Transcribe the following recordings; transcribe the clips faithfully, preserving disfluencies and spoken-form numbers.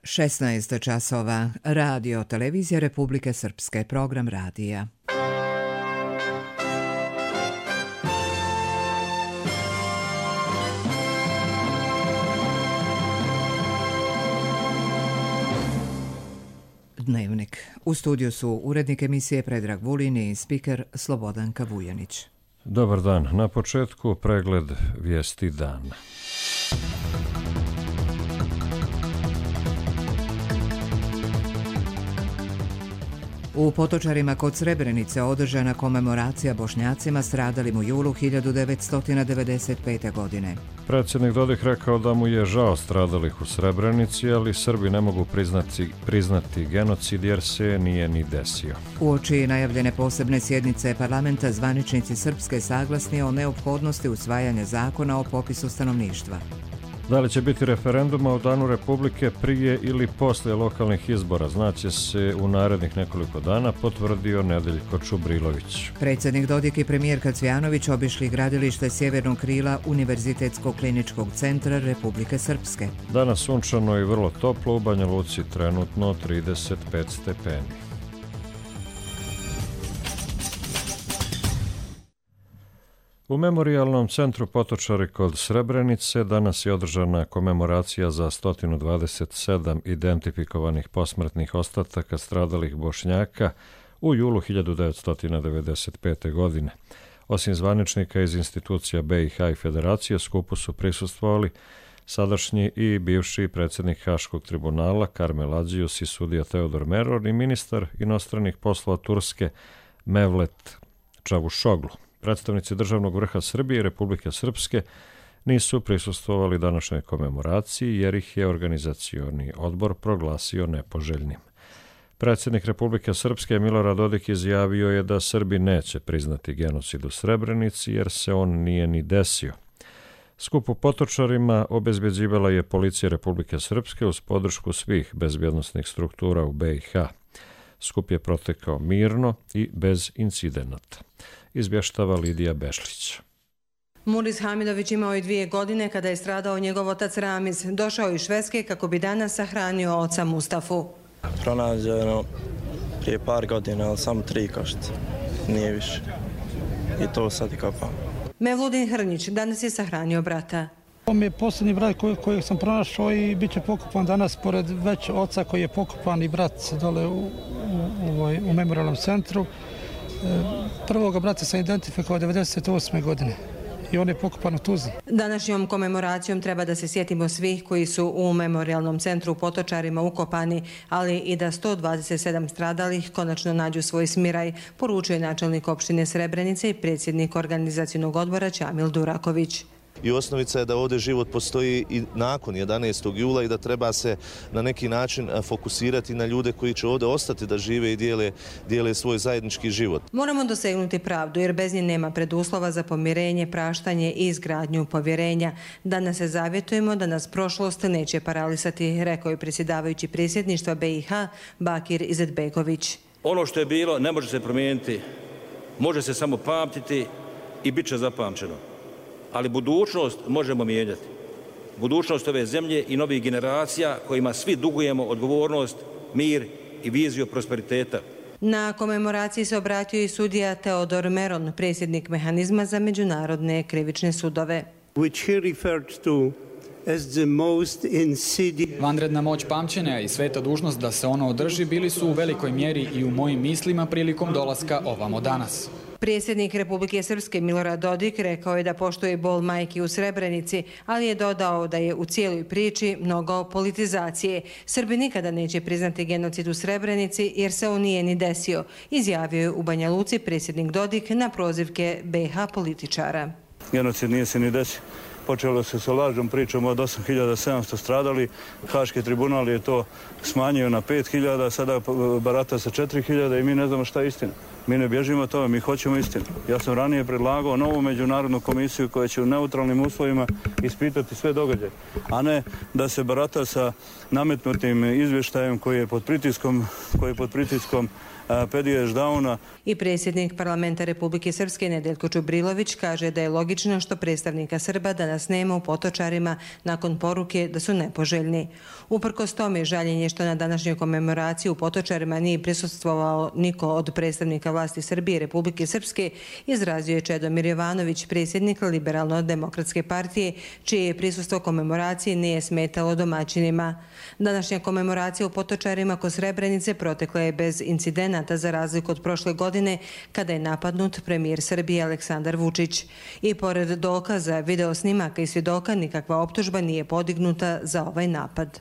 šesnaest časova. Radio Televizija Republike Srpske. Program radija. Dnevnik. U studiju su urednik emisije Predrag Vulin i spiker Slobodanka Vujanić. Dobar dan. Na početku pregled vijesti dana. U Potočarima kod Srebrenice održana komemoracija Bošnjacima stradalim u julu hiljadu devetsto devedeset pete. godine. Predsjednik Dodik rekao da mu je žao stradalih u Srebrenici, ali Srbi ne mogu priznati, priznati genocid jer se nije ni desio. Uoči najavljene posebne sjednice parlamenta zvaničnici Srpske saglasni o neophodnosti usvajanja zakona o popisu stanovništva. Da li će biti referenduma u Danu Republike prije ili poslije lokalnih izbora, znaće se u narednih nekoliko dana, potvrdio Nedeljko Čubrilović. Predsjednik Dodik i premijerka Cvjanović obišli gradilište sjevernog krila Univerzitetskog kliničkog centra Republike Srpske. Danas sunčano i vrlo toplo, u Banja Luci trenutno trideset pet stepeni. U Memorijalnom centru Potočari kod Srebrenice danas je održana komemoracija za sto dvadeset sedam identifikovanih posmrtnih ostataka stradalih Bošnjaka u julu hiljadu devetsto devedeset pete. godine. Osim zvaničnika iz institucija B i H i Federacije, skupu su prisustvovali sadašnji i bivši predsjednik Haškog tribunala Karmel Ađius i sudija Teodor Meror i ministar inostranih poslova Turske Mevlet Čavuşoglu. Predstavnici državnog vrha Srbije i Republike Srpske nisu prisustvovali današnjoj komemoraciji jer ih je organizacioni odbor proglasio nepoželjnim. Predsjednik Republike Srpske Milorad Dodik izjavio je da Srbi neće priznati genocid u Srebrenici jer se on nije ni desio. Skup u Potočarima obezbeđivala je policija Republike Srpske uz podršku svih bezbjednosnih struktura u B i H. Skup je protekao mirno i bez incidenata. Izvještava Lidija Bešlić. Muris Hamidović imao je dvije godine kada je stradao njegov otac Ramiz. Došao iz Švedske kako bi danas sahranio oca Mustafu. Pronađeno prije par godina, ali samo tri košta. Nije više. I to sad i kopam. Mevludin Hrnić danas je sahranio brata. On je posljednji brat koji, kojeg sam pronašao i bit će pokopan danas pored već oca koji je pokopan i brat dole u, u, u, u memorijalnom centru. Prvoga brata sam identifikovao devedeset osme. godine i on je pokopan u Tuzli. Današnjom komemoracijom treba da se sjetimo svih koji su u memorijalnom centru u Potočarima ukopani, ali i da sto dvadeset sedam stradalih konačno nađu svoj smiraj, poručuje načelnik opštine Srebrenice i predsjednik organizacionog odbora Čamil Duraković. I osnovica je da ovdje život postoji i nakon jedanaestog jula i da treba se na neki način fokusirati na ljude koji će ovdje ostati da žive i dijele, dijele svoj zajednički život. Moramo dosegnuti pravdu jer bez nje nema preduslova za pomirenje, praštanje i izgradnju povjerenja. Danas se zavjetujemo da nas prošlost neće paralisati, rekao je predsjedavajući predsjedništva B i H Bakir Izetbegović. Ono što je bilo ne može se promijeniti, može se samo pamtiti i bit će zapamćeno. Ali budućnost možemo mijenjati. Budućnost ove zemlje i novih generacija kojima svi dugujemo odgovornost, mir i viziju prosperiteta. Na komemoraciji se obratio i sudija Teodor Meron, predsjednik mehanizma za međunarodne krivične sudove. Which he referred to as the most insidious. Vanredna moć pamćenja i sveta dužnost da se ono održi bili su u velikoj mjeri i u mojim mislima prilikom dolaska ovamo danas. Predsjednik Republike Srpske Milorad Dodik rekao je da poštuje bol majki u Srebrenici, ali je dodao da je u cijeloj priči mnogo politizacije. Srbi nikada neće priznati genocid u Srebrenici jer se on nije ni desio, izjavio je u Banja Luci predsjednik Dodik na prozivke B H političara. Genocid nije se ni desio. Počelo se sa lažnom pričom od osam hiljada sedamsto stradali. Haški tribunal je to smanjio na pet hiljada, sada barata sa četiri hiljade i mi ne znamo šta je istina. Mi ne bježimo tome, mi hoćemo istinu. Ja sam ranije predlagao novu međunarodnu komisiju koja će u neutralnim uslovima ispitati sve događaje, a ne da se barata sa nametnutim izvještajem koji je pod pritiskom, koji je pod pritiskom Pedije Ždauna. I predsjednik parlamenta Republike Srpske Nedeljko Čubrilović kaže da je logično što predstavnika Srba danas danas nema u Potočarima nakon poruke da su nepoželjni. Uprkos tome, žaljenje što na današnjoj komemoraciji u Potočarima nije prisustvovao niko od predstavnika vlasti Srbije i Republike Srpske, izrazio je Čedomir Jovanović, predsjednik Liberalno-demokratske partije, čije je prisustvo komemoracije nije smetalo domaćinima. Današnja komemoracija u Potočarima kod Srebrenice protekla je bez incidenata za razliku od prošle godine kada je napadnut premijer Srbije Aleksandar Vučić. I pored dokaza, videosnimaka i svjedoka, nikakva optužba nije podignuta za ovaj napad.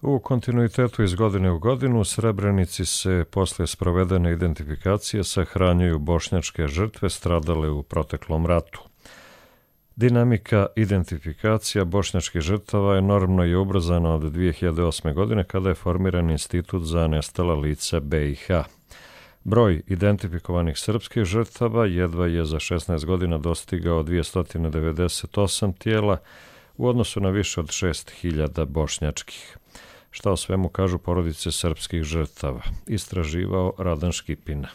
U kontinuitetu iz godine u godinu u Srebrenici se posle sprovedene identifikacije sahranjuju bošnjačke žrtve stradale u proteklom ratu. Dinamika identifikacija bošnjačkih žrtava enormno je ubrzana od dvije hiljade osme. godine kada je formiran Institut za nestala lica B i H. Broj identifikovanih srpskih žrtava jedva je za šesnaest godina dostigao dvjesto devedeset osam tijela u odnosu na više od šest hiljada bošnjačkih. Šta o svemu kažu porodice srpskih žrtava? Istraživao Radan Škipina.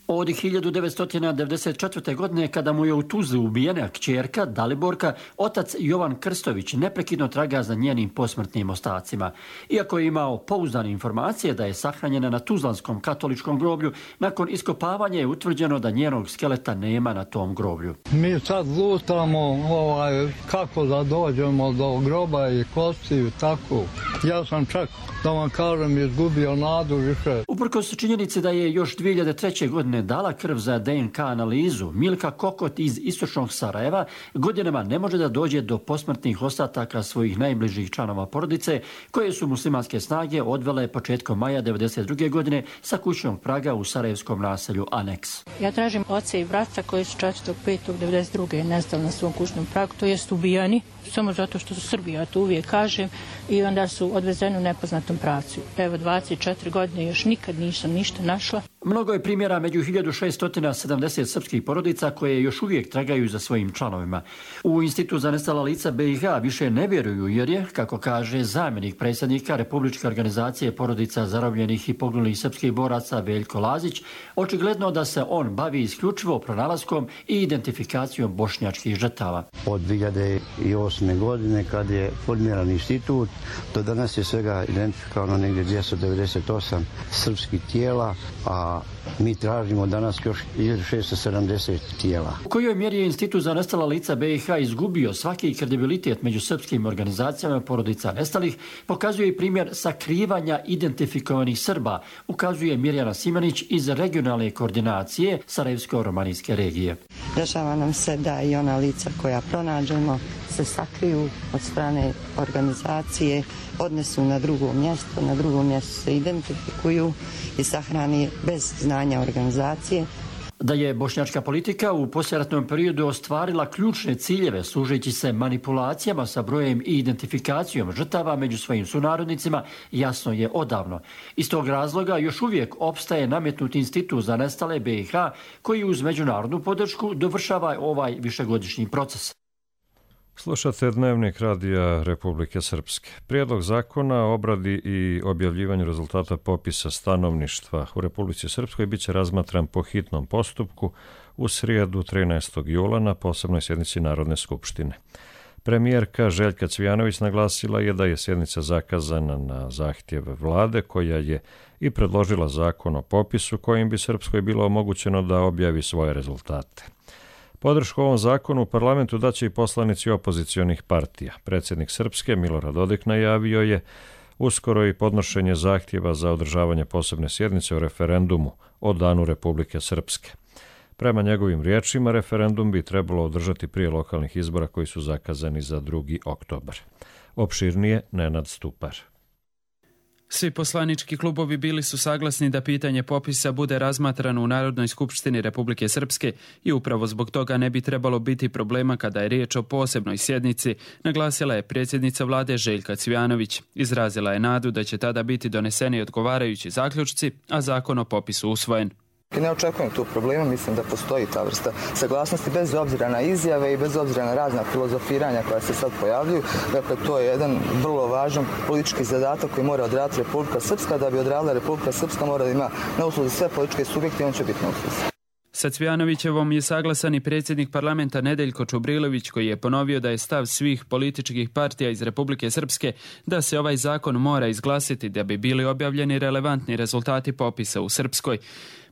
Od hiljadu devetsto devedeset četvrte. godine, kada mu je u Tuzli ubijena kćerka Daliborka, otac Jovan Krstović neprekidno traga za njenim posmrtnim ostacima. Iako je imao pouzdane informacije da je sahranjena na Tuzlanskom katoličkom groblju, nakon iskopavanja je utvrđeno da njenog skeleta nema na tom groblju. Mi sad lutamo ovaj, kako da dođemo do groba i kostiju, tako. Ja sam čak, da vam kažem, izgubio nadu više. Uprkos činjenici da je još dvije hiljade treće. godine dala krv za D N K analizu, Milka Kokot iz istočnog Sarajeva godinama ne može da dođe do posmrtnih ostataka svojih najbližih članova porodice, koje su muslimanske snage odvele početkom maja devedeset druge. godine sa kućnog praga u sarajevskom naselju Aneks. Ja tražim oca i brata koji su četvrtog petog devedeset druge. nestali na svom kućnom pragu, to jest ubijani, samo zato što su Srbi, ja to uvijek kažem, i onda su odvezeni u nepoznatom pravcu. Evo, dvadeset četiri godine još nikad nisam ništa našla. Mnogo je primjera među hiljadu šesto sedamdeset srpskih porodica koje još uvijek tragaju za svojim članovima. U Institut za nestala lica B i H više ne vjeruju jer je, kako kaže zamjenik predsjednika Republičke organizacije porodica zarobljenih i poginulih srpskih boraca Veljko Lazić, očigledno da se on bavi isključivo pronalaskom i identifikacijom bošnjačkih žrtava. Od dvije hiljade osme. godine kad je formiran institut, do danas je svega identifikovano negdje dvjesto devedeset osam srpskih tijela, a mi tražimo danas još hiljadu šesto sedamdeset tijela. U kojoj mjeri je Institut za nestala lica B i H izgubio svaki kredibilitet među srpskim organizacijama porodica nestalih, pokazuje i primjer sakrivanja identifikovanih Srba, ukazuje Mirjana Simanić iz regionalne koordinacije Sarajevsko-romanijske regije. Dešava nam se da i ona lica koja pronađemo se sakriju od strane organizacije, odnesu na drugo mjesto, na drugom mjestu se identifikuju i sahrani bez znanja organizacije. Da je bošnjačka politika u poslijeratnom periodu ostvarila ključne ciljeve služeći se manipulacijama sa brojem i identifikacijom žrtava među svojim sunarodnicima, jasno je odavno. Iz tog razloga još uvijek opstaje nametnut Institut za nestale B i H koji uz međunarodnu podršku dovršava ovaj višegodišnji proces. Slušate Dnevnik radija Republike Srpske. Prijedlog zakona o obradi i objavljivanju rezultata popisa stanovništva u Republici Srpskoj biće razmatran po hitnom postupku u srijedu trinaestog jula na posebnoj sjednici Narodne skupštine. Premijerka Željka Cvijanović naglasila je da je sjednica zakazana na zahtjev vlade koja je i predložila zakon o popisu kojim bi Srpskoj bilo omogućeno da objavi svoje rezultate. Podršku ovom zakonu u parlamentu daće i poslanici opozicionih partija. Predsjednik Srpske Milorad Dodik najavio je uskoro i podnošenje zahtjeva za održavanje posebne sjednice o referendumu o Danu Republike Srpske. Prema njegovim riječima, referendum bi trebalo održati prije lokalnih izbora koji su zakazani za drugi oktobar. Opširnije Nenad Stupar. Svi poslanički klubovi bili su saglasni da pitanje popisa bude razmatrano u Narodnoj skupštini Republike Srpske i upravo zbog toga ne bi trebalo biti problema kada je riječ o posebnoj sjednici, naglasila je predsjednica vlade Željka Cvijanović. Izrazila je nadu da će tada biti doneseni odgovarajući zaključci, a zakon o popisu usvojen. Ne očekujem tu problema, mislim da postoji ta vrsta saglasnosti bez obzira na izjave i bez obzira na razna filozofiranja koja se sad pojavljuju. Dakle, to je jedan vrlo važan politički zadatak koji mora odraditi Republika Srpska. Da bi odradila Republika Srpska mora da ima na usluzi sve političke subjekte i on će biti na usluzi. Sa Cvijanovićevom je saglasan i predsjednik parlamenta Nedeljko Čubrilović, koji je ponovio da je stav svih političkih partija iz Republike Srpske da se ovaj zakon mora izglasiti da bi bili objavljeni relevantni rezultati popisa u Srpskoj.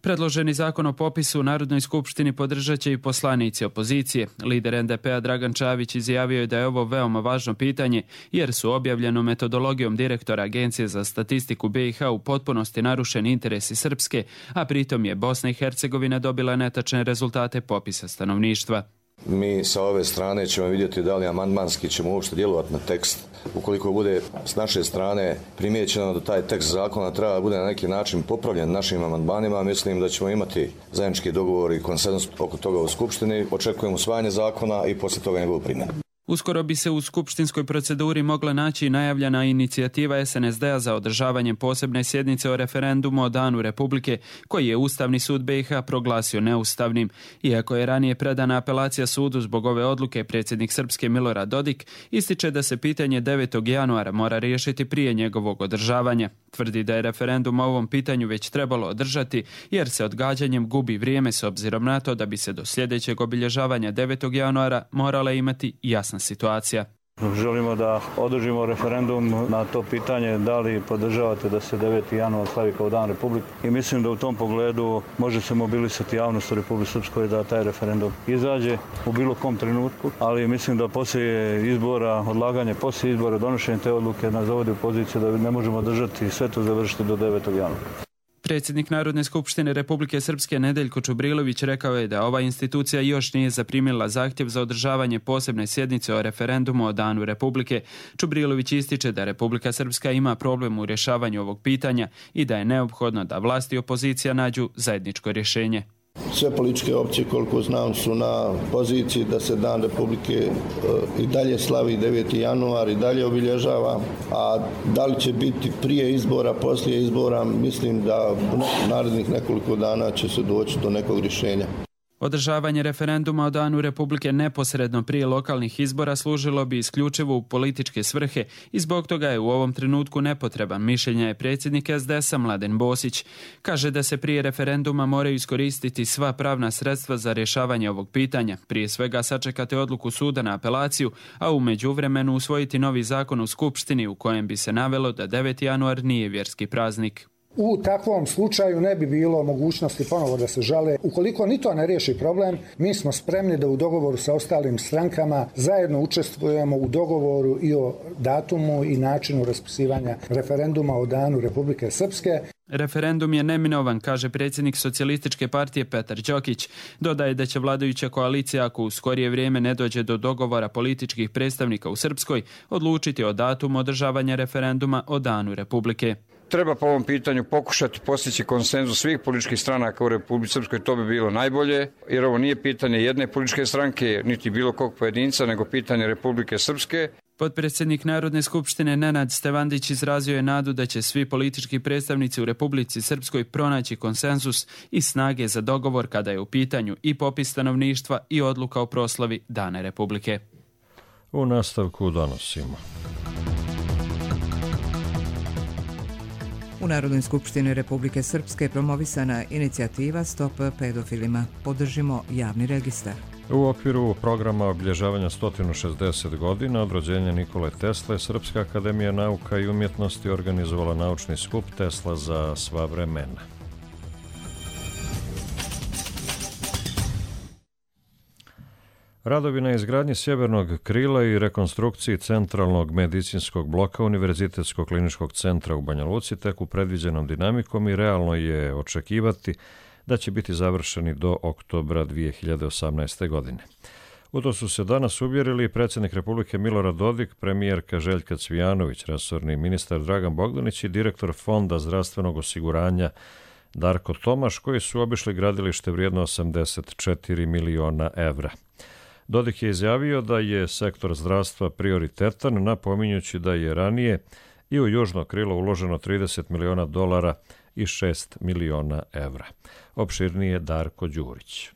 Predloženi zakon o popisu u Narodnoj skupštini podržat će i poslanici opozicije. Lider en de pe a Dragan Čavić izjavio je da je ovo veoma važno pitanje jer su objavljenom metodologijom direktora Agencije za statistiku be i ha u potpunosti narušeni interesi Srpske, a pritom je Bosna i Hercegovina dobila netačne rezultate popisa stanovništva. Mi sa ove strane ćemo vidjeti da li amandmanski ćemo uopšte djelovati na tekst. Ukoliko bude s naše strane primijećeno da taj tekst zakona treba da bude na neki način popravljen našim amandmanima, mislim da ćemo imati zajednički dogovor i konsenzus oko toga u Skupštini. Očekujemo usvajanje zakona i poslije toga njegovu primjenu. Uskoro bi se u skupštinskoj proceduri mogla naći najavljena inicijativa es en es de a za održavanje posebne sjednice o referendumu o Danu Republike, koji je Ustavni sud be i ha proglasio neustavnim. Iako je ranije predana apelacija sudu zbog ove odluke, predsjednik Srpske Milorad Dodik ističe da se pitanje devetog januara mora riješiti prije njegovog održavanja. Tvrdi da je referendum o ovom pitanju već trebalo održati, jer se odgađanjem gubi vrijeme s obzirom na to da bi se do sljedećeg obilježavanja devetog januara morala imati jasna situacija. Želimo da održimo referendum na to pitanje da li podržavate da se deveti januar slavi kao Dan Republike i mislim da u tom pogledu može se mobilisati javnost u Republici Srpskoj da taj referendum izađe u bilo kom trenutku, ali mislim da poslije izbora, odlaganje poslije izbora, donošenje te odluke nas dovodi u poziciju da ne možemo držati sve to završiti do devetog januara. Predsjednik Narodne skupštine Republike Srpske Nedeljko Čubrilović rekao je da ova institucija još nije zaprimila zahtjev za održavanje posebne sjednice o referendumu o Danu Republike. Čubrilović ističe da Republika Srpska ima problem u rješavanju ovog pitanja i da je neophodno da vlast i opozicija nađu zajedničko rješenje. Sve političke opcije, koliko znam, su na poziciji da se Dan Republike i dalje slavi deveti januar i dalje obilježava, a da li će biti prije izbora, poslije izbora, mislim da u narednih nekoliko dana će se doći do nekog rješenja. Održavanje referenduma o Danu Republike neposredno prije lokalnih izbora služilo bi isključivo u političke svrhe i zbog toga je u ovom trenutku nepotreban, mišljenja je predsjednik es de es a Mladen Bosić. Kaže da se prije referenduma moraju iskoristiti sva pravna sredstva za rješavanje ovog pitanja, prije svega sačekati odluku suda na apelaciju, a u međuvremenu usvojiti novi zakon u Skupštini u kojem bi se navelo da deveti januar nije vjerski praznik. U takvom slučaju ne bi bilo mogućnosti ponovo da se žale. Ukoliko ni to ne riješi problem, mi smo spremni da u dogovoru sa ostalim strankama zajedno učestvujemo u dogovoru i o datumu i načinu raspisivanja referenduma o Danu Republike Srpske. Referendum je neminovan, kaže predsjednik Socijalističke partije Petar Đokić. Dodaje da će vladajuća koalicija, ako u skorije vrijeme ne dođe do dogovora političkih predstavnika u Srpskoj, odlučiti o datumu održavanja referenduma o Danu Republike. Treba po ovom pitanju pokušati postići konsenzus svih političkih stranaka u Republici Srpskoj, to bi bilo najbolje, jer ovo nije pitanje jedne političke stranke, niti bilo kog pojedinca, nego pitanje Republike Srpske. Potpredsjednik Narodne skupštine Nenad Stevandić izrazio je nadu da će svi politički predstavnici u Republici Srpskoj pronaći konsenzus i snage za dogovor kada je u pitanju i popis stanovništva i odluka o proslavi Dana Republike. U nastavku donosimo. U Narodnoj skupštini Republike Srpske promovisana inicijativa Stop pedofilima. Podržimo javni registar. U okviru programa obilježavanja sto šezdeset godina od rođenja Nikole Tesle, Srpska akademija nauka i umjetnosti organizovala naučni skup Tesla za sva vremena. Radovi na izgradnji sjevernog krila i rekonstrukciji centralnog medicinskog bloka Univerzitetskog kliničkog centra u Banja Luci teku predviđenom dinamikom i realno je očekivati da će biti završeni do oktobra dvije hiljade osamnaeste. godine. U to su se danas uvjerili predsjednik Republike Milorad Dodik, premijerka Željka Cvijanović, resorni ministar Dragan Bogdanić i direktor Fonda zdravstvenog osiguranja Darko Tomaš, koji su obišli gradilište vrijedno osamdeset četiri miliona evra. Dodik je izjavio da je sektor zdravstva prioritetan, napominjući da je ranije i u južno krilo uloženo trideset miliona dolara i šest miliona evra. Opširnije Darko Đurić.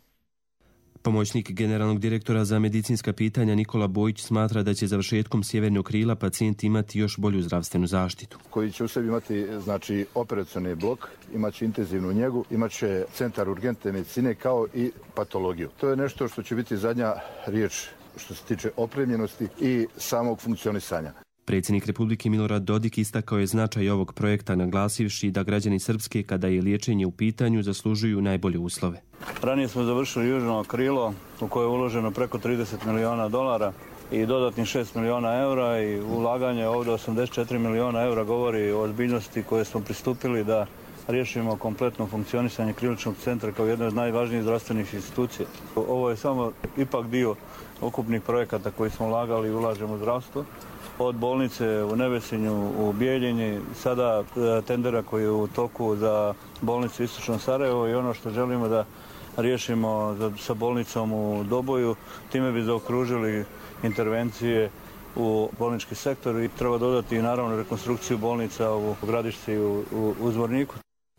Pomoćnik generalnog direktora za medicinska pitanja Nikola Bojić smatra da će završetkom sjevernog krila pacijent imati još bolju zdravstvenu zaštitu. Koji će u sebi imati znači, operacioni blok, imaće intenzivnu njegu, imaće centar urgentne medicine kao i patologiju. To je nešto što će biti zadnja riječ što se tiče opremljenosti i samog funkcionisanja. Predsjednik Republike Milorad Dodik istakao je značaj ovog projekta, naglasivši da građani Srpske, kada je liječenje u pitanju, zaslužuju najbolje uslove. Ranije smo završili južno krilo u koje je uloženo preko trideset miliona dolara i dodatnih šest miliona eura i ulaganje ovdje osamdeset četiri miliona eura govori o ozbiljnosti koje smo pristupili da riješimo kompletno funkcionisanje kriličnog centra kao jedne od najvažnijih zdravstvenih institucija. Ovo je samo ipak dio ukupnih projekata koji smo ulagali i ulažemo u zdravstvo. Od bolnice u Nevesinju, u Bijeljini, sada tendera koji je u toku za bolnicu Istočno Sarajevo i ono što želimo da riješimo sa bolnicom u Doboju, time bi zaokružili intervencije u bolnički sektor i treba dodati i naravno rekonstrukciju bolnica u Gradišci i u, u, u Zvorniku.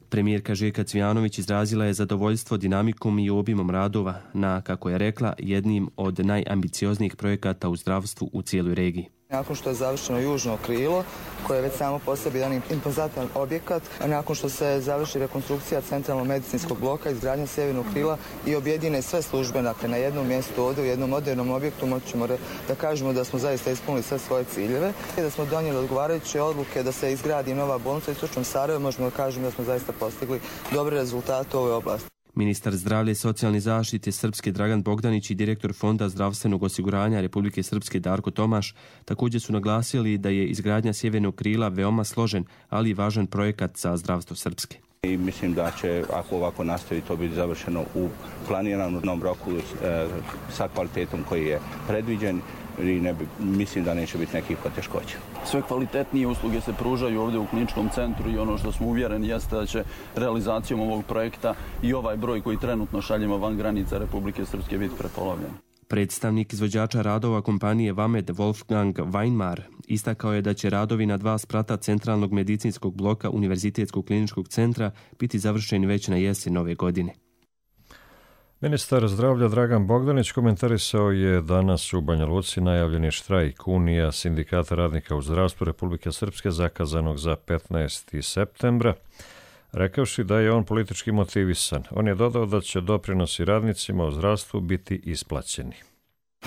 Premijerka Željka Cvijanović izrazila je zadovoljstvo dinamikom i obimom radova na, kako je rekla, jednim od najambicioznijih projekata u zdravstvu u cijeloj regiji. Nakon što je završeno južno krilo, koje je već samo po sebi jedan impozantan objekat, a nakon što se završi rekonstrukcija centralnog medicinskog bloka, izgradnja sjevernog krila i objedine sve službe dakle, na jednom mjestu ovdje u jednom modernom objektu, moćemo da kažemo da smo zaista ispunili sve svoje ciljeve i da smo donijeli odgovarajuće odluke da se izgradi nova bolnica u Istočnom Sarajevu, možemo da kažemo da smo zaista postigli dobre rezultate u ovoj oblasti. Ministar zdravlja i socijalne zaštite Srpske Dragan Bogdanić i direktor Fonda zdravstvenog osiguranja Republike Srpske Darko Tomaš također su naglasili da je izgradnja sjevernog krila veoma složen, ali i važan projekat za zdravstvo Srpske. I mislim da će, ako ovako nastavi, to biti završeno u planiranom roku e, sa kvalitetom koji je predviđen i ne bi, mislim da neće biti nekih poteškoća. Sve kvalitetnije usluge se pružaju ovdje u kliničkom centru i ono što smo uvjereni jeste da će realizacijom ovog projekta i ovaj broj koji trenutno šaljemo van granica Republike Srpske biti prepolovljen. Predstavnik izvođača radova kompanije Vamed Wolfgang Weinmar istakao je da će radovi na dva sprata centralnog medicinskog bloka Univerzitetskog kliničkog centra biti završeni već na jesen ove godine. Ministar zdravlja Dragan Bogdanić komentarisao je danas u Banja Luci najavljeni štrajk Unija Sindikata radnika u zdravstvu Republike Srpske zakazanog za petnaestog septembra, rekavši da je on politički motivisan. On je dodao da će doprinosi radnicima u zdravstvu biti isplaćeni.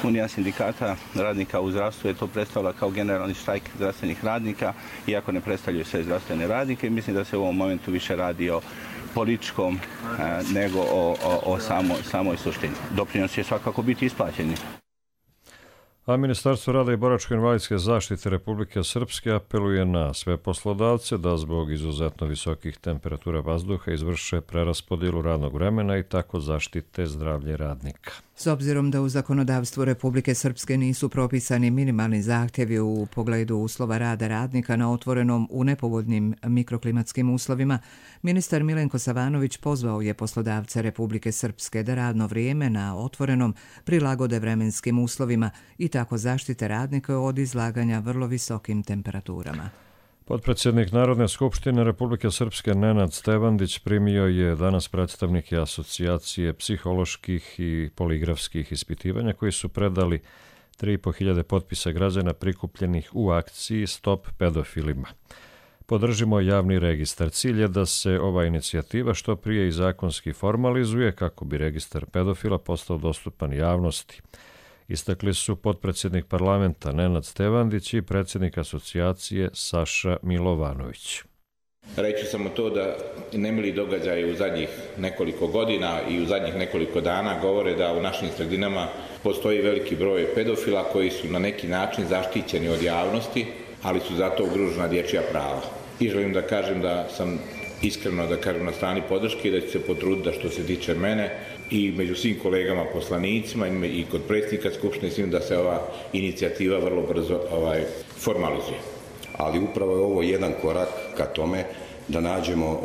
Unija sindikata radnika u zdravstvu je to predstavila kao generalni štrajk zdravstvenih radnika, iako ne predstavljaju sve zdravstvene radnike. Mislim da se u ovom momentu više radi o političkom nego o, o, o samo, samoj suštini. Doprinos će svakako biti isplaćeni. A Ministarstvo rada i boračko-invalidske zaštite Republike Srpske apeluje na sve poslodavce da zbog izuzetno visokih temperatura vazduha izvrše preraspodjelu radnog vremena i tako zaštite zdravlje radnika. S obzirom da u zakonodavstvu Republike Srpske nisu propisani minimalni zahtjevi u pogledu uslova rada radnika na otvorenom u nepovoljnim mikroklimatskim uslovima, ministar Milenko Savanović pozvao je poslodavce Republike Srpske da radno vrijeme na otvorenom prilagode vremenskim uslovima i tako zaštite radnika od izlaganja vrlo visokim temperaturama. Potpredsjednik Narodne skupštine Republike Srpske Nenad Stevandić primio je danas predstavnike asocijacije psiholoških i poligrafskih ispitivanja koji su predali tri i po hiljade potpisa građana prikupljenih u akciji Stop pedofilima. Podržimo javni registar. Cilj je da se ova inicijativa što prije i zakonski formalizuje kako bi registar pedofila postao dostupan javnosti. Istakli su potpredsjednik parlamenta Nenad Stevandić i predsjednik asocijacije Saša Milovanović. Reći samo to da nemili događaji u zadnjih nekoliko godina i u zadnjih nekoliko dana govore da u našim sredinama postoji veliki broj pedofila koji su na neki način zaštićeni od javnosti, ali su zato ugrožena dječja prava. I želim da kažem da sam iskreno da kažem na strani podrške i da ću se potruditi da što se tiče mene i među svim kolegama poslanicima i kod predsjednika Skupštine svim da se ova inicijativa vrlo brzo ovaj, formalizuje. Ali upravo je ovo jedan korak ka tome da nađemo e,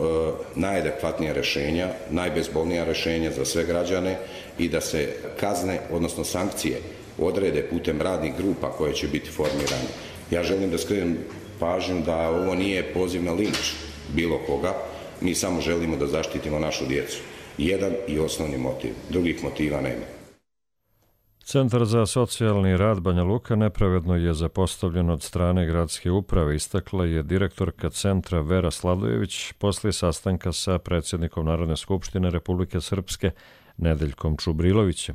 najadekvatnija rješenja, najbezbolnija rješenja za sve građane i da se kazne, odnosno sankcije, odrede putem radnih grupa koje će biti formirane. Ja želim da skrenem pažnju da ovo nije poziv na linč bilo koga, mi samo želimo da zaštitimo našu djecu. Jedan i osnovni motiv, drugih motiva nema. Centar za socijalni rad Banja Luka nepravedno je zapostavljen od strane gradske uprave, istakla je direktorka centra Vera Sladojević poslije sastanka sa predsjednikom Narodne skupštine Republike Srpske Nedeljkom Čubrilovićem.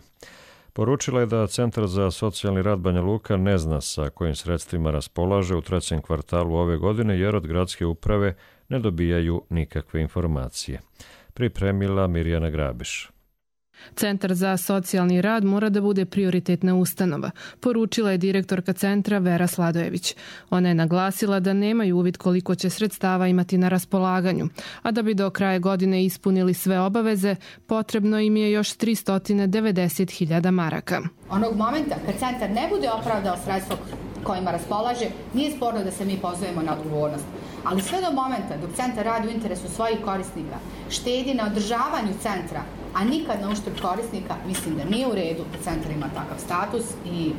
Poručila je da Centar za socijalni rad Banja Luka ne zna sa kojim sredstvima raspolaže u trećem kvartalu ove godine jer od gradske uprave ne dobijaju nikakve informacije. Pripremila Mirjana Grabiš. Centar za socijalni rad mora da bude prioritetna ustanova, poručila je direktorka centra Vera Sladojević. Ona je naglasila da nemaju uvid koliko će sredstava imati na raspolaganju, a da bi do kraja godine ispunili sve obaveze, potrebno im je još tristo devedeset hiljada maraka. Onog momenta kad centar ne bude opravdao sredstvo kojima raspolaže, nije sporno da se mi pozovemo na odgovornost. Ali sve do momenta dok centar radi u interesu svojih korisnika, štedi na održavanju centra, a nikad na uštrb korisnika, mislim da nije u redu da centar ima takav status i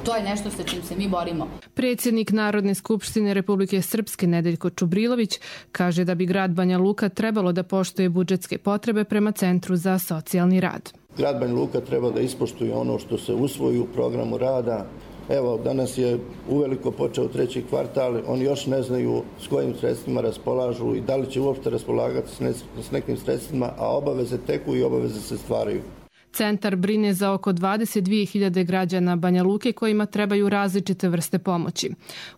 to je nešto sa čim se mi borimo. Predsjednik Narodne skupštine Republike Srpske Nedeljko Čubrilović kaže da bi grad Banja Luka trebalo da poštuje budžetske potrebe prema Centru za socijalni rad. Grad Banja Luka treba da ispoštuje ono što se usvoji u programu rada. Evo, danas je uveliko počeo treći kvartal, oni još ne znaju s kojim sredstvima raspolažu i da li će uopšte raspolagati s nekim sredstvima, a obaveze teku i obaveze se stvaraju. Centar brine za oko dvadeset dvije hiljade građana Banja Luke kojima trebaju različite vrste pomoći.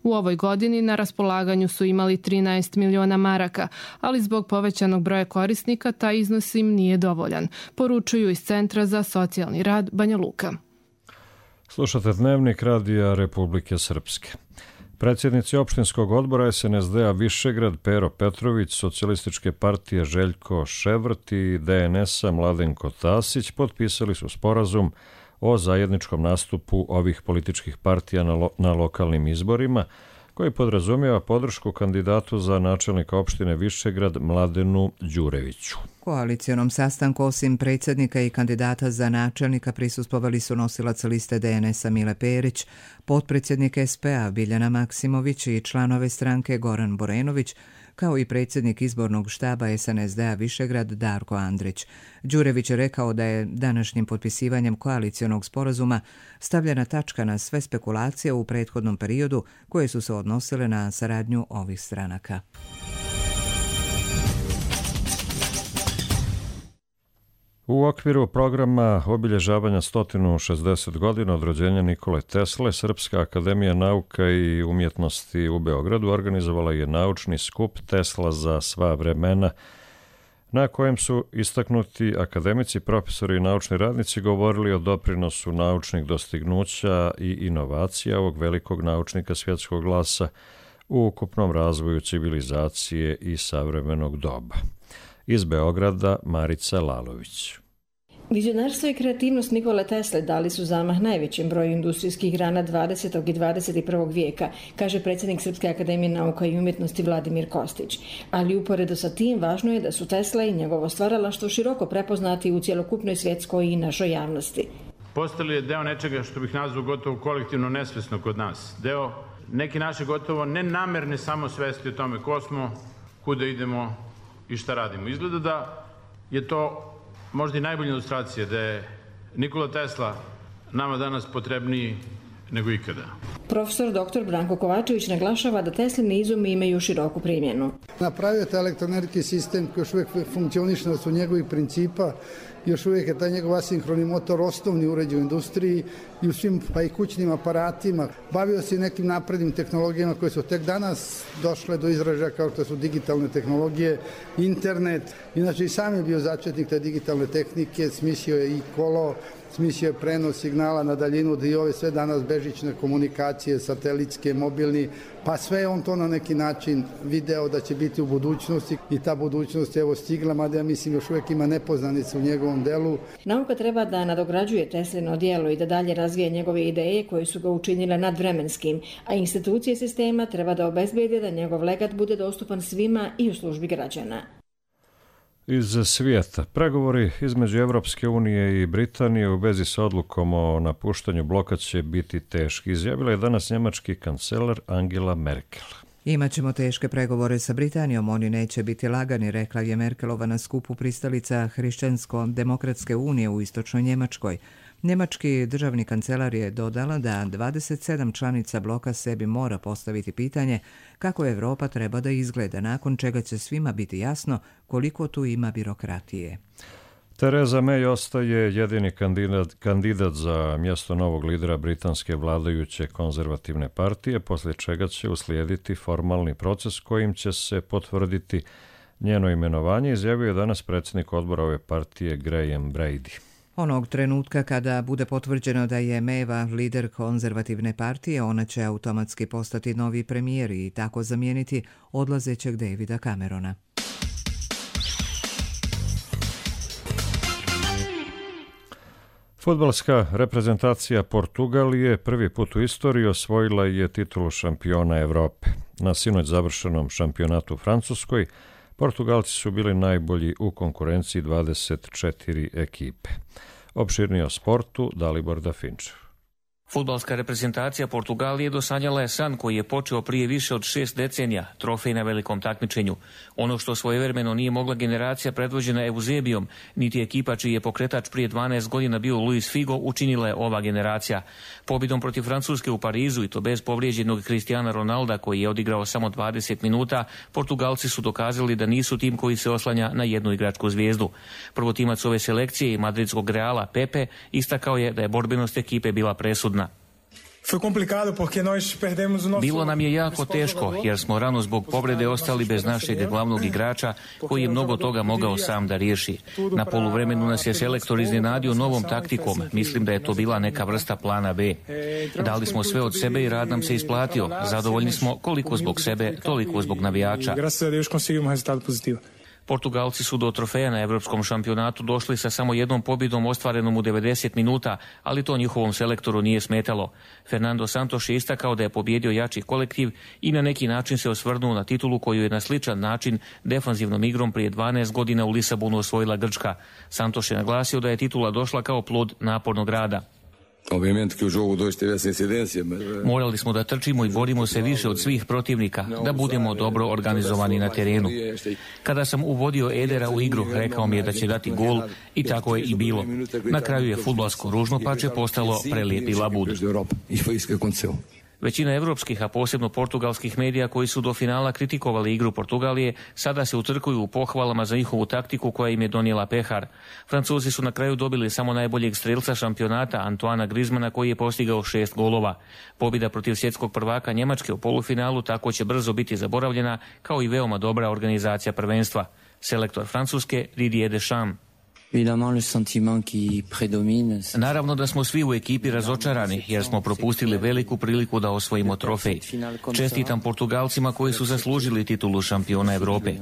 U ovoj godini na raspolaganju su imali trinaest miliona maraka, ali zbog povećanog broja korisnika taj iznos im nije dovoljan, poručuju iz Centra za socijalni rad Banja Luka. Slušate Dnevnik Radija Republike Srpske. Predsjednici opštinskog odbora S N S D-a Višegrad Pero Petrović, Socijalističke partije Željko Ševrt i D N S-a Mladenko Tasić potpisali su sporazum o zajedničkom nastupu ovih političkih partija na, lo- na lokalnim izborima, koji podrazumijeva podršku kandidatu za načelnika opštine Višegrad Mladenu Đureviću. Koalicionom sastanku osim predsjednika i kandidata za načelnika prisustvovali su nosilac liste D N S-a Mile Perić, potpredsjednik S P A Biljana Maksimović i članove stranke Goran Borenović, kao i predsjednik izbornog štaba S N S D-a Višegrad Darko Andrić. Đurević je rekao da je današnjim potpisivanjem koalicionog sporazuma stavljena tačka na sve spekulacije u prethodnom periodu koje su se odnosile na saradnju ovih stranaka. U okviru programa obilježavanja sto šezdeset godina od rođenja Nikole Tesle, Srpska akademija nauka i umjetnosti u Beogradu organizovala je naučni skup Tesla za sva vremena, na kojem su istaknuti akademici, profesori i naučni radnici govorili o doprinosu naučnih dostignuća i inovacija ovog velikog naučnika svjetskog glasa u ukupnom razvoju civilizacije i savremenog doba. Iz Beograda Marica Lalović. Vizionarstvo i kreativnost Nikole Tesle dali su zamah najvećem broju industrijskih grana dvadesetog i dvadeset prvog vijeka, kaže predsjednik Srpske akademije nauka i umjetnosti Vladimir Kostić. Ali uporedo sa tim važno je da su Tesla i njegovo stvaralaštvo široko prepoznati u cjelokupnoj svjetskoj i našoj javnosti. Postali je deo nečega što bih nazvao gotovo kolektivno nesvjesno kod nas. Deo neke naše gotovo nenamerne samosvesti o tome ko smo, kuda idemo i šta radimo. Izgleda da je to možda i najbolja ilustracija da je Nikola Tesla nama danas potrebniji nego ikada. Profesor doktor Branko Kovačević naglašava da Teslini izumi imaju široku primjenu. Napravio taj elektroenergetski sistem koji još uvijek funkcioniše na osnovu njegovih principa, još uvijek je taj njegov asinhroni motor osnovni uređaj u industriji i u svim pa i kućnim aparatima. Bavio se i nekim naprednim tehnologijama koje su tek danas došle do izražaja kao što su digitalne tehnologije, internet. Inače i sam je bio začetnik te digitalne tehnike, smislio je i kolo, smislio je prenos signala na daljinu da i ove sve danas bežične komunikacije, satelitske, mobilni, pa sve je on to na neki način video da će biti u budućnosti i ta budućnost je evo stigla, mada ja mislim još uvijek ima nepoznanice u njegovom delu. Nauka treba da nadograđuje Teslino djelo i da dalje razvije njegove ideje koje su ga učinile nadvremenskim, a institucije sistema treba da obezbede da njegov legat bude dostupan svima i u službi građana. Iz svijeta. Pregovori između Evropske unije i Britanije u vezi s odlukom o napuštanju bloka će biti teški, izjavila je danas njemački kancelar Angela Merkel. Imaćemo teške pregovore sa Britanijom, oni neće biti lagani, rekla je Merkelova na skupu pristalica Hrišćansko-demokratske unije u istočnoj Njemačkoj. Njemački državni kancelar je dodala da dvadeset sedam članica bloka sebi mora postaviti pitanje kako Evropa treba da izgleda, nakon čega će svima biti jasno koliko tu ima birokratije. Theresa May ostaje jedini kandidat, kandidat za mjesto novog lidera britanske vladajuće konzervativne partije, poslije čega će uslijediti formalni proces kojim će se potvrditi njeno imenovanje, izjavio je danas predsjednik odbora ove partije Graham Brady. Onog trenutka kada bude potvrđeno da je Mayeva lider konzervativne partije, ona će automatski postati novi premijer i tako zamijeniti odlazećeg Davida Camerona. Fudbalska reprezentacija Portugalije prvi put u istoriji osvojila je titulu šampiona Evrope. Na sinoć završenom šampionatu u Francuskoj, Portugalci su bili najbolji u konkurenciji dvadeset četiri ekipe. Opširnije o sportu Dalibor Dafinčev. Fudbalska reprezentacija Portugalije dosanjala je san koji je počeo prije više od šest decenija, trofej na velikom takmičenju. Ono što svojevremeno nije mogla generacija predvođena Eusebijom, niti ekipa čiji je pokretač prije dvanaest godina bio Luis Figo, učinila je ova generacija. Pobjedom protiv Francuske u Parizu i to bez povrijeđenog Cristiana Ronalda koji je odigrao samo dvadeset minuta, Portugalci su dokazali da nisu tim koji se oslanja na jednu igračku zvijezdu. Prvotimac ove selekcije i madridskog Reala Pepe istakao je da je borbenost ekipe bila presudna. Bilo nam je jako teško jer smo rano zbog povrede ostali bez našeg glavnog igrača koji je mnogo toga mogao sam da riješi. Na poluvremenu nas je selektor iznenadio novom taktikom. Mislim da je to bila neka vrsta plana B. Dali smo sve od sebe i rad nam se isplatio. Zadovoljni smo koliko zbog sebe, toliko zbog navijača. Portugalci su do trofeja na evropskom šampionatu došli sa samo jednom pobjedom ostvarenom u devedeset minuta, ali to njihovom selektoru nije smetalo. Fernando Santos je istakao da je pobjedio jači kolektiv i na neki način se osvrnuo na titulu koju je na sličan način defanzivnom igrom prije dvanaest godina u Lisabonu osvojila Grčka. Santos je naglasio da je titula došla kao plod napornog rada. Morali smo da trčimo i borimo se više od svih protivnika, da budemo dobro organizovani na terenu. Kada sam uvodio Edera u igru, rekao mi je da će dati gol i tako je i bilo. Na kraju je fudbalsko ružnopače postalo prelijepi labud. Većina evropskih, a posebno portugalskih medija koji su do finala kritikovali igru Portugalije, sada se utrkuju u pohvalama za njihovu taktiku koja im je donijela pehar. Francuzi su na kraju dobili samo najboljeg strelca šampionata Antoana Griezmana koji je postigao šest golova. Pobjeda protiv svjetskog prvaka Njemačke u polufinalu tako će brzo biti zaboravljena, kao i veoma dobra organizacija prvenstva. Selektor Francuske Didier Deschamps. Naravno da smo svi u ekipi razočarani jer smo propustili veliku priliku da osvojimo trofej. Čestitam Portugalcima koji su zaslužili titulu šampiona Evrope.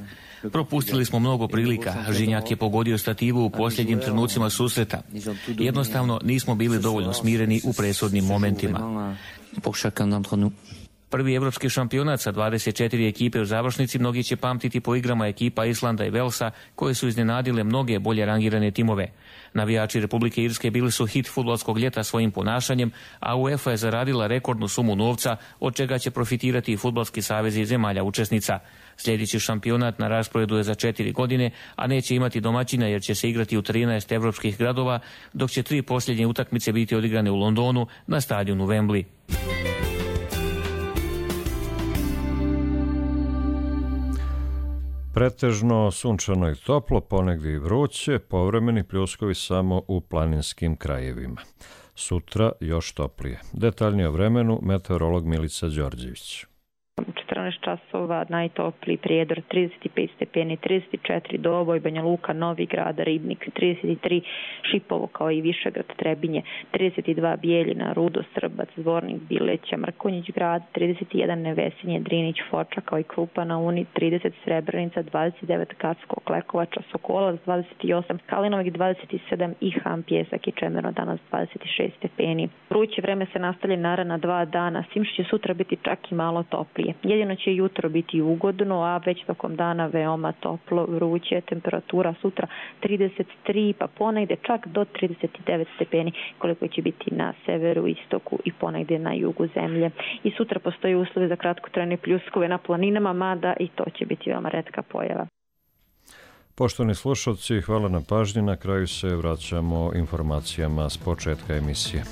Propustili smo mnogo prilika. Žinjak je pogodio stativu u posljednjim trenucima susreta. Jednostavno nismo bili dovoljno smireni u presudnim momentima. Prvi evropski šampionat sa dvadeset četiri ekipe u završnici mnogi će pamtiti po igrama ekipa Islanda i Velsa koje su iznenadile mnoge bolje rangirane timove. Navijači Republike Irske bili su hit fudbalskog ljeta svojim ponašanjem, a UEFA je zaradila rekordnu sumu novca od čega će profitirati i fudbalski savezi zemalja učesnica. Sljedeći šampionat na rasporedu je za četiri godine, a neće imati domaćina jer će se igrati u trinaest evropskih gradova, dok će tri posljednje utakmice biti odigrane u Londonu na stadionu Wembley. Pretežno sunčano i toplo, ponegdje i vruće, povremeni pljuskovi samo u planinskim krajevima. Sutra još toplije. Detaljnije o vremenu meteorolog Milica Đorđević. četrnaest časova, najtopliji Prijedor trideset pet stepeni, trideset četiri Doboj, Banja Luka, Novi Grad, Ribnik, trideset tri Šipovo kao i Višegrad, Trebinje, trideset dva Bijeljina, Rudo, Srbac, Zvornik, Bileća, Mrkonjić Grad, trideset jedan Nevesinje, Drinić, Foča kao i Krupa na Uni, trideset Srebrenica, dvadeset devet Kacko, Klekovača, Sokolac, dvadeset osam Kalinovik, dvadeset sedam i Ham, Pjesak i Čemerno, danas dvadeset šest stepeni. Vruće vreme se nastavlja naredna dva dana, s tim što će sutra biti čak i malo toplije. Jedino će jutro biti ugodno, a već tokom dana veoma toplo, vruće, temperatura sutra trideset tri, pa ponegde čak do trideset devet stepeni, koliko će biti na severu, istoku i ponegde na jugu zemlje. I sutra postoji uslovi za kratkotrajne pljuskove na planinama, mada i to će biti veoma retka pojava. Poštovani slušalci, hvala na pažnji. Na kraju se vraćamo informacijama s početka emisije.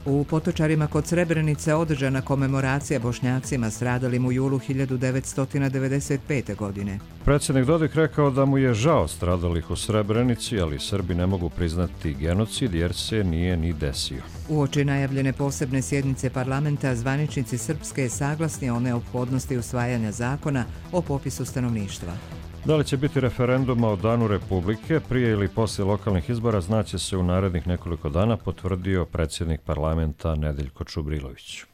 U Potočarima kod Srebrenice održana komemoracija Bošnjacima stradalim u julu hiljadu devetsto devedeset pete. godine. Predsjednik Dodik rekao da mu je žao stradalih u Srebrenici, ali Srbi ne mogu priznati genocid jer se nije ni desio. Uoči najavljene posebne sjednice parlamenta, zvaničnici Srpske saglasni o neophodnosti usvajanja zakona o popisu stanovništva. Da li će biti referenduma o Danu Republike prije ili poslije lokalnih izbora znaće se u narednih nekoliko dana, potvrdio predsjednik parlamenta Nedeljko Čubrilović.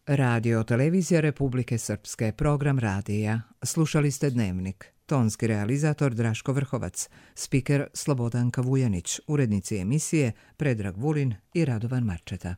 Radio televizija Republike Srpske, program radija. Slušali ste Dnevnik. Tonski realizator Draško Vrhovac, spiker Slobodanka Vujanić, urednici emisije Predrag Vulin i Radovan Marčeta.